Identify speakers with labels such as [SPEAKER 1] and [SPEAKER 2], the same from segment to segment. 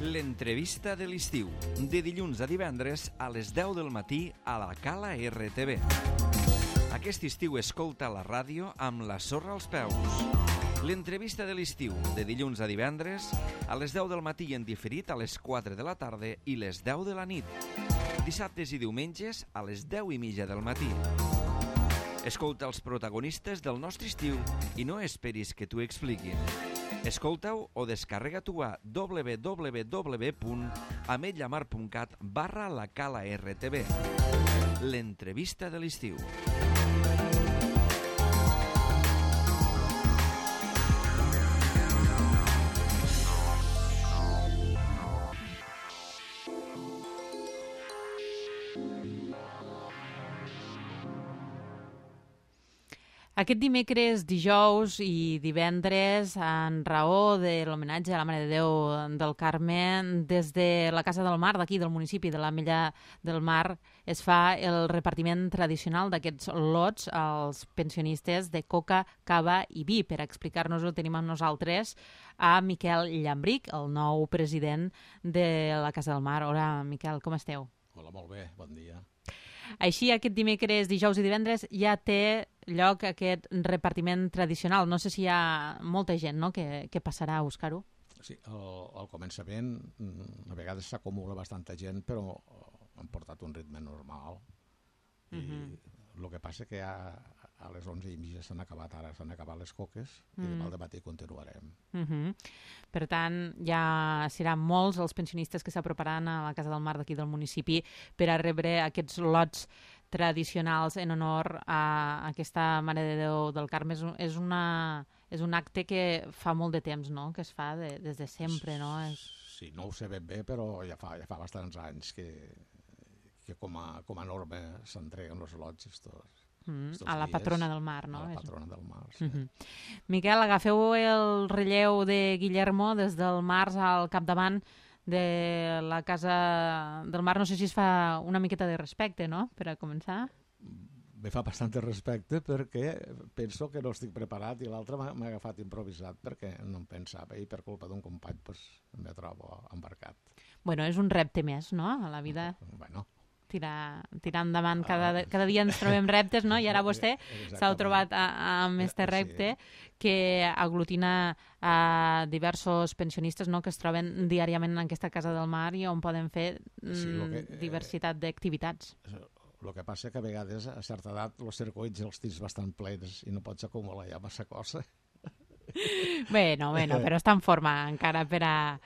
[SPEAKER 1] L'entrevista de l'estiu, de dilluns a divendres a les 10 del matí a la Cala RTV. Aquest estiu escolta la ràdio amb la sorra als peus. L'entrevista de l'estiu, de dilluns a divendres a les 10 del matí en diferit a les 4 de la tarda i les 10 de la nit. Dissabtes i diumenges a les 10:30 del matí. Escolta els protagonistes del nostre estiu i no esperis que t'ho expliquin. Escolta-ho o descarrega-t'ho a www.ametlllamar.cat/la Cala RTV. L'entrevista de l'estiu.
[SPEAKER 2] Aquest dimecres, dijous i divendres, en raó de l'homenatge a la Mare de Déu del Carme, des de la Casa del Mar, d'aquí del municipi de l'Ametlla del Mar, es fa el repartiment tradicional d'aquests lots als pensionistes de coca, cava i vi. Per explicar-nos-ho tenim amb nosaltres a Miquel Llambric, el nou president de la Casa del Mar. Hola, Miquel, com esteu?
[SPEAKER 3] Hola, molt bé, bon dia.
[SPEAKER 2] Així, aquest dimecres, dijous i divendres ja té lloc aquest repartiment tradicional. No sé si hi ha molta gent, no?, que passarà a buscar-ho.
[SPEAKER 3] Sí, al començament a vegades s'acumula bastanta gent, però han portat un ritme normal. I el que passa que a les 11:30 s'han acabat les coques i demà al dematí continuarem.
[SPEAKER 2] Per tant, ja seran molts els pensionistes que s'aproparan a la Casa del Mar d'aquí del municipi per a rebre aquests lots tradicionals en honor a aquesta Mare de Déu del Carme. És un acte que fa molt de temps, no?, que es fa des de sempre, no?
[SPEAKER 3] Sí, no ho sé ben bé, però ja fa bastants anys que com a norma s'entreguen els lots
[SPEAKER 2] a la patrona del mar, no?
[SPEAKER 3] A la patrona del mar, sí.
[SPEAKER 2] Miquel, agafeu el relleu de Guillermo des del març al capdavant de la Casa del Mar. No sé si es fa una miqueta de respecte, no?, per a començar.
[SPEAKER 3] Me fa bastant respecte perquè penso que no estic preparat i l'altre m'ha agafat improvisat perquè no em pensava i per culpa d'un company em trobo embarcat.
[SPEAKER 2] Bueno, és un repte més, no?, a la vida.
[SPEAKER 3] Bueno,
[SPEAKER 2] tirar endavant. Cada dia ens trobem reptes, no? I ara vostè s'ha trobat amb aquest repte que aglutina a diversos pensionistes, no?, que es troben diàriament en aquesta Casa del Mar i on poden fer diversitat d'activitats.
[SPEAKER 3] El que passa que a vegades a certa edat els circuits els tens bastant plens i no pots acumular ja massa cosa.
[SPEAKER 2] Bueno, però està en forma encara per a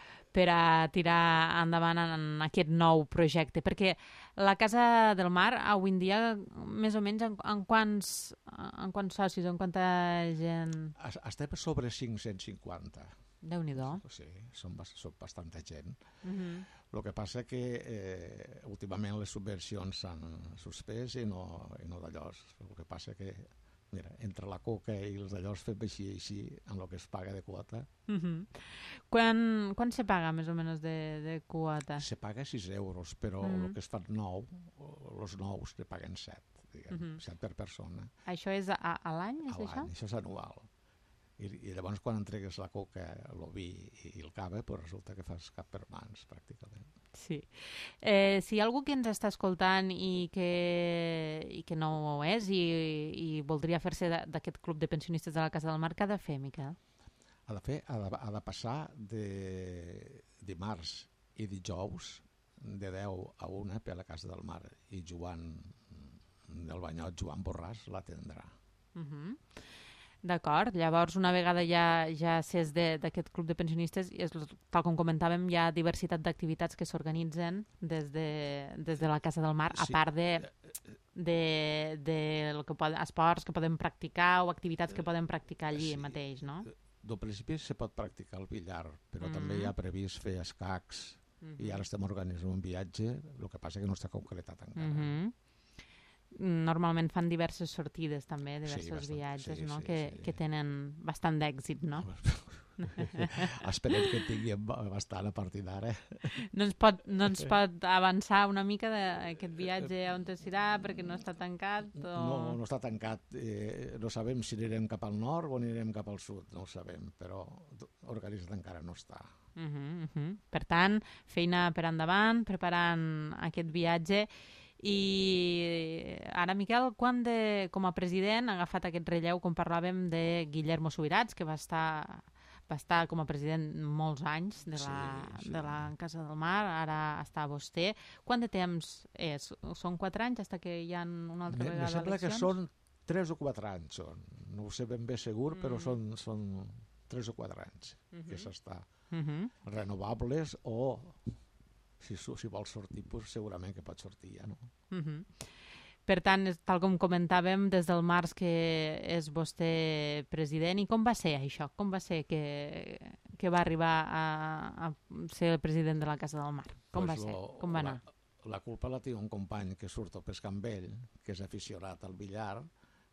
[SPEAKER 2] tirar endavant en aquest nou projecte, perquè la Casa del Mar avui en dia, més o menys, en quants socis, en quanta gent?
[SPEAKER 3] Estem sobre 550.
[SPEAKER 2] Déu-n'hi-do.
[SPEAKER 3] Sí, són bastanta gent. El que passa que últimament les subvencions s'han suspès i no d'allò. El que passa que mira, entre la coca i els d'allò fem així amb el que es paga de quota.
[SPEAKER 2] Quan se paga més o menys de quota?
[SPEAKER 3] Se paga 6 euros, però el que es fan els nous te paguen 7, diguem, 7 per persona.
[SPEAKER 2] Això és a l'any, és això?
[SPEAKER 3] A l'any, això és anual. I llavors quan entregues la coca, el vi i el cava, doncs resulta que fas cap per mans, pràcticament.
[SPEAKER 2] Sí. Si hi ha algú que ens està escoltant i que no ho és i voldria fer-se d'aquest club de pensionistes de la Casa del Mar, què ha de fer, Miquel?
[SPEAKER 3] Ha de passar de dimarts i dijous de 10 a 1 per la Casa del Mar i Joan del Banyot, Joan Borràs, l'atendrà.
[SPEAKER 2] D'acord, llavors una vegada ja s'és d'aquest club de pensionistes, tal com comentàvem, hi ha diversitat d'activitats que s'organitzen des de la Casa del Mar, a part de esports que podem practicar o activitats que podem practicar allí mateix, no?
[SPEAKER 3] Del principi se pot practicar el billar, però també hi ha previst fer escacs i ara estem organitzant un viatge, el que passa que no està concretat encara.
[SPEAKER 2] Normalment fan diverses sortides també, diversos viatges, no? Que tenen bastant d'èxit, no?
[SPEAKER 3] Esperem que tinguem bastant a partir d'ara.
[SPEAKER 2] No ens pot avançar una mica d'aquest viatge on serà, perquè no està tancat? O...
[SPEAKER 3] No està tancat. No sabem si anirem cap al nord o anirem cap al sud, no ho sabem, però organitzat encara no està.
[SPEAKER 2] Per tant, feina per endavant, preparant aquest viatge. I ara, Miquel, quan com a president ha agafat aquest relleu, com parlàvem, de Guillermo Subirats, que va estar com a president molts anys de la Casa del Mar, ara està vostè. Quant de temps és? Són 4 anys fins que hi ha una altra vegada eleccions?
[SPEAKER 3] Em sembla que són 3 o 4 anys. No ho sé ben bé segur, però són 3 o 4 anys que s'està. Renovables o... Si vols sortir, segurament que pot sortir ja, no?
[SPEAKER 2] Per tant, tal com comentàvem, des del març que és vostè president. I com va ser això? Com va ser que va arribar a ser el president de la Casa del Mar? Com va ser? Com va anar?
[SPEAKER 3] La culpa la té un company que surt a pescar amb ell, que és aficionat al billar,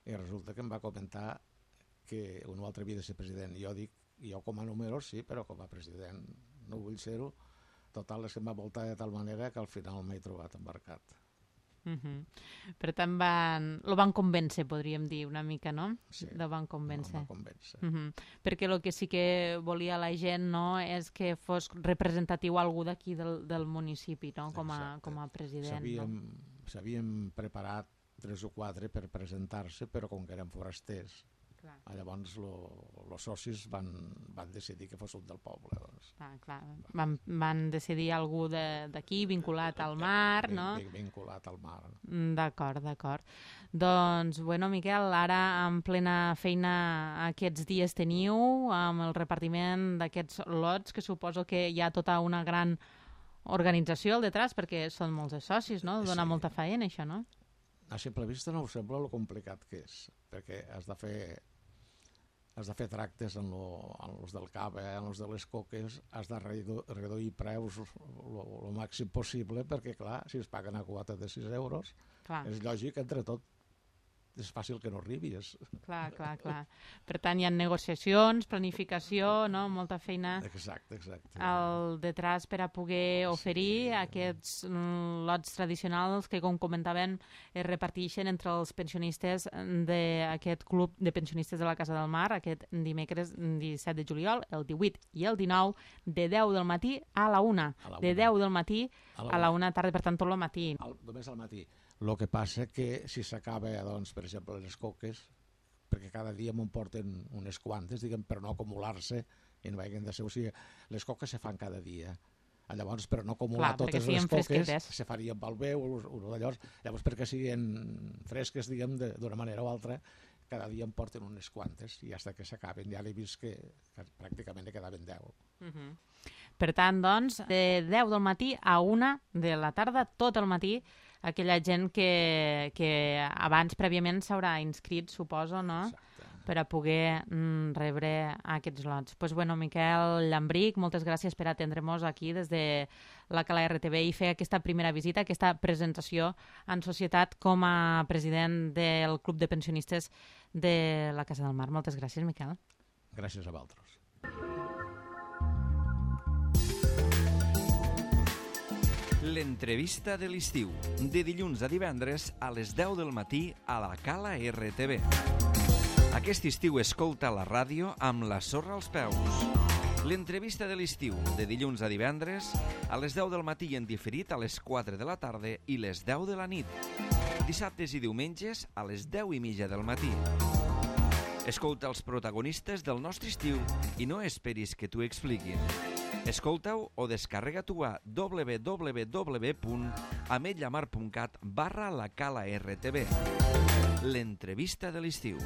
[SPEAKER 3] i resulta que em va comentar que un altre havia de ser president. Jo dic, jo com a número sí, però com a president no vull ser-ho. Total, és que em va voltar de tal manera que al final m'he trobat embarcat.
[SPEAKER 2] Per tant, lo van convèncer, podríem dir, una mica, no?
[SPEAKER 3] Sí,
[SPEAKER 2] lo van convèncer.
[SPEAKER 3] Perquè
[SPEAKER 2] el que sí que volia la gent, no, és que fos representatiu algú d'aquí del municipi, no? Com a president.
[SPEAKER 3] S'havien preparat 3 o 4 per presentar-se, però com que eren forasters, llavors els socis van decidir que fos un del poble. Doncs.
[SPEAKER 2] Van decidir algú d'aquí vinculat al mar, no?
[SPEAKER 3] Vinculat al mar.
[SPEAKER 2] D'acord. Doncs, bueno, Miquel, ara en plena feina aquests dies teniu amb el repartiment d'aquests lots, que suposo que hi ha tota una gran organització al detrás, perquè són molts de socis, no? Dona molta feina, això, no?
[SPEAKER 3] A simple vista no us sembla lo complicat que és, perquè has de fer tractes en els del cava, en els de les coques, has de reduir preus el màxim possible, perquè, clar, si es paguen a quota de 6 euros, és lògic, entre tot, és fàcil que no arribis.
[SPEAKER 2] Clar. Per tant, hi ha negociacions, planificació, no? Molta feina
[SPEAKER 3] Exacte.
[SPEAKER 2] al detrás per a poder oferir aquests lots tradicionals que, com comentaven, es reparteixen entre els pensionistes d'aquest club de pensionistes de la Casa del Mar aquest dimecres 17 de juliol, el 18 i el 19, de 10 del matí a la 1. De 10 del matí a la 1 tarda, per tant, tot el matí.
[SPEAKER 3] Només al matí. El que passa que si s'acaba, doncs, per exemple, les coques, perquè cada dia m'ho porten unes quantes, diguem, per no acumular-se i no hagin de ser... O sigui, les coques se fan cada dia. Llavors, per no acumular totes les coques, se farien pel veu, llavors perquè siguin fresques, diguem, d'una manera o altra, cada dia em porten unes quantes i fins que s'acaben. Ja l'he vist que pràcticament ne quedaven 10.
[SPEAKER 2] Per tant, doncs, de 10 del matí a 1 de la tarda, tot el matí, aquella gent que abans prèviament s'haurà inscrit, suposo, no?
[SPEAKER 3] Exacte.
[SPEAKER 2] Per a poder rebre aquests lots. Doncs, bueno, Miquel Llambrich, moltes gràcies per atendre-nos aquí des de la Cala RTV i fer aquesta primera visita, aquesta presentació en societat com a president del Club de Pensionistes de la Casa del Mar. Moltes gràcies, Miquel.
[SPEAKER 3] Gràcies a vosaltres.
[SPEAKER 1] L'entrevista de l'estiu, de dilluns a divendres a les 10 del matí a la Cala RTV. Aquest estiu escolta la ràdio amb la sorra als peus. L'entrevista de l'estiu, de dilluns a divendres a les 10 del matí en diferit a les 4 de la tarda i les 10 de la nit. Dissabtes i diumenges a les 10:30 del matí. Escolta els protagonistes del nostre estiu i no esperis que t'ho expliquin. Escolta-ho o descarrega-t'ho a www.ametlllamar.cat/la Cala RTV. L'entrevista de l'estiu.